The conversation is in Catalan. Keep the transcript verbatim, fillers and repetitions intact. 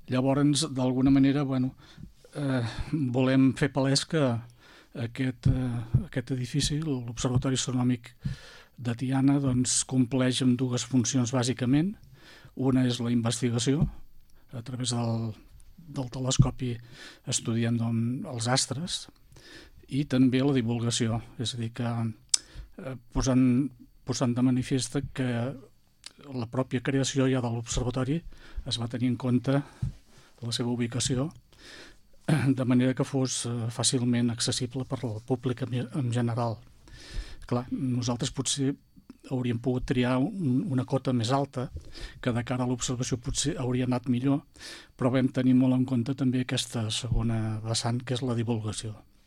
Llavors, d'alguna manera, bueno, eh, volem fer palès que aquest, eh, aquest edifici, l'Observatori Astronòmic de Tiana, doncs, compleix amb dues funcions bàsicament. Una és la investigació, a través del, del telescopi estudiem doncs, els astres, i també la divulgació, és a dir, que eh, posant, posant de manifest que la pròpia creació ja de l'observatori es va tenir en compte la seva ubicació, de manera que fos fàcilment accessible per al públic en general. Clar, nosaltres potser hauríem pogut triar un, una cota més alta, que de cara a l'observació potser hauria anat millor, però vam tenir molt en compte també aquesta segona vessant, que és la divulgació.